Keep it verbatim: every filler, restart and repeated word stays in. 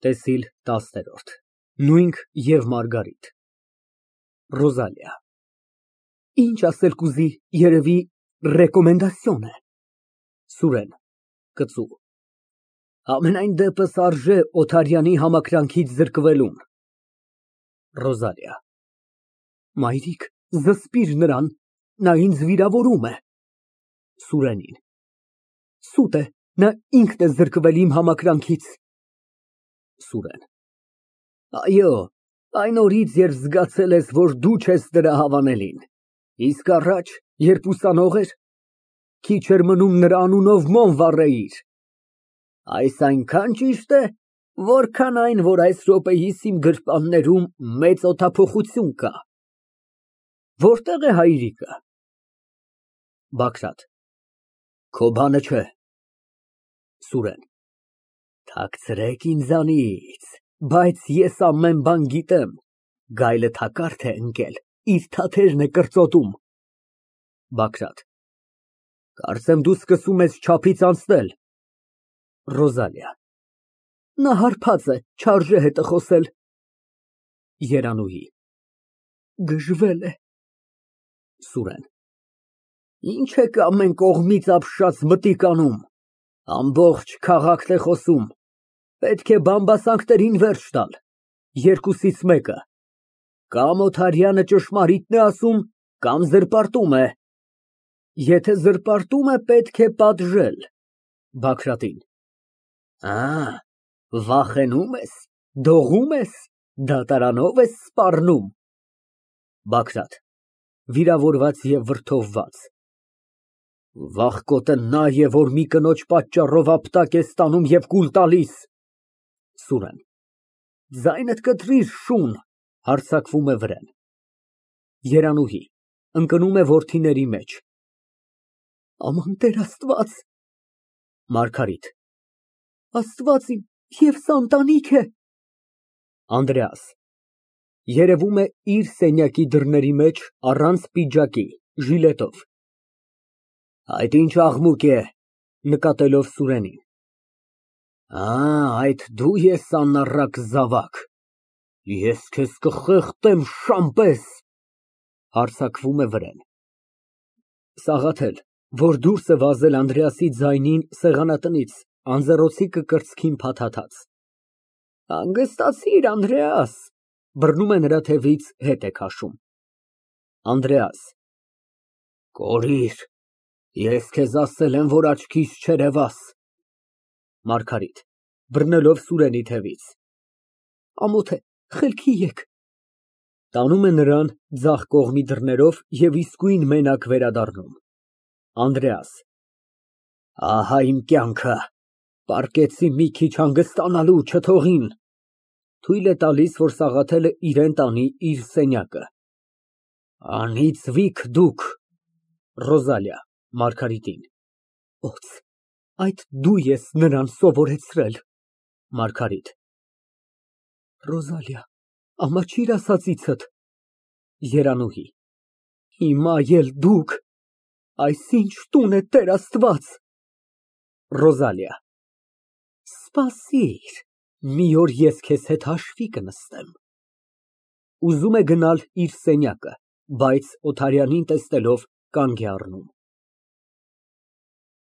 ՏԵՍԻԼ տասներորդ ՆՈՒՅՆՔ ԵՎ ՄԱՐԳԱՐԻՏ ՌՈԶԱԼԻԱ ֊ Ինչ ասել կուզի, երևի ռեկոմենդասիոն է։ ՍՈՒՐԵՆ ֊ (Կծու) Համենայն դեպս, արժե Օթարյանի համակրանքից զրկվելուն։ ՌՈԶԱԼԻԱ ֊ Մայրիկ, զսպիր նրան, նա ինձ վիրավորում է։ (Սուրենին) Սուտ է, նա ինքն է զրկվել իմ համակրանքից։ ՍՈՒՐԵՆ ֊ Այո, այն օրից, երբ զգացել ես, որ դու չես նրա հավանելին, իսկ առաջ, երբ ուսանող էր, քիչ էր մնում նրա անունով մոմ վառեիր։ Այս այնքան ճիշտ է, որքան այն, որ այս րոպեիս իմ գրպաններում մեծ օդափոխություն կա։ Որտե՞ղ է հայրիկը։ ԲԱԳՐԱՏ ֊ Քո բանը չէ։ ՍՈՒՐԵՆ ֊ Թաքցրեք ինձանից, բայց ես ամեն բան գիտեմ, գայլը թակարդ է ընկել, իր թաթերն է կրծոտում։ ԲԱԳՐԱՏ ֊ Կարծեմ, դու սկսում ես չափից անցնել։ ՌՈԶԱԼԻԱ ֊ Նա հարբած է, չարժե հետը խոսել։ ԵՐԱՆՈՒՀԻ ֊ Գժվել է։ ՍՈՒՐԵՆ ֊ Ինչ եք ամեն կողմից ապշած մտիկ անում, ամբողջ քաղաքն է խոսում, պետք է բամբասանքներին վերջ տալ, երկուսից մեկը, կամ Օթարյանը ճշմարիտն է ասում, կամ զրպարտում է, եթե զրպարտում է, պետք է պատժել։ (Բագրատին) Ա, վախենու՞մ ես, դողո՞մ ես, դատարանո՞վ ես սպառնում։ ԲԱԳՐԱՏ ֊ (Վիրավորված և վրդովված) Վախկոտը նա է, որ մի կնոջ պատճառով ապտակ է ստանում և կուլ տալիս։ ՍՈՒՐԵՆ ֊ Ձայնդ կտրիր, շուն, (Հարձակվում է վրեն)։ ԵՐԱՆՈՒՀԻ ֊ (Ընկնում է որդիների մեջ) Աման, Տեր Աստված։ ՄԱՐԳԱՐԻՏ ֊ Աստված իմ, և սա ընտանիք է։ ԱՆԴՐԵԱՍ ֊ (Երևում է իր սենյակի դռների մեջ առանց պիջակի, ժիլետով) Այդ ինչ աղմուկ է։ (Նկատելով Սուրենին) Ա, այդ դու ես անառակ զավակ, ես քեզ կխեղդեմ շան պես։ (Հարձակվում է վրեն)։ ՍԱՂԱԹԵԼ ֊ (Որ դուրս է վազել Անդրեասի ձայնին սեղանատնից, անձեռնոցիկը կրծքին փաթաթած) Հանգստացիր, Անդրեաս։ (Բռնում է նրա թևից, հետ է քաշում)։ ԱՆԴՐԵԱՍ ֊ Կորիր, ես քեզ ասել եմ, որ աչքիս չերևաս։ ՄԱՐԳԱՐԻՏ ֊ (Բռնելով Սուրենի թևից) Ամոթ է, խելքի եկ։ (Տանում է նրան ձախ կողմի դռներով և իսկույն մենակ վերադառնում)։ ԱՆԴՐԵԱՍ ֊ Ահա իմ կյանքը, պառկեցի մի քիչ հանգստանալու, չթողին։ (Թույլ է տալիս, որ Սաղաթելը իրան տանի իր սենյակը)։ Անիծվիք դուք։ ՌՈԶԱԼԻԱ ֊ (Մարգարիտին) Օձ, այդ դու ես նրան սովորեցրել։ ՄԱՐԳԱՐԻՏ ֊ Ռոզալիա, ամաչիր ասածիցդ։ ԵՐԱՆՈՒՀԻ ֊ Հիմա էլ դուք, այս ինչ տուն է, Տեր Աստված։ ՌՈԶԱԼԻԱ ֊ Սպասիր, մի օր ես քեզ հետ հաշվի կնստեմ։ (Ուզում է գնալ իր սենյակը, բայց Օթարյանին տեսնելով կանգ է առնում)։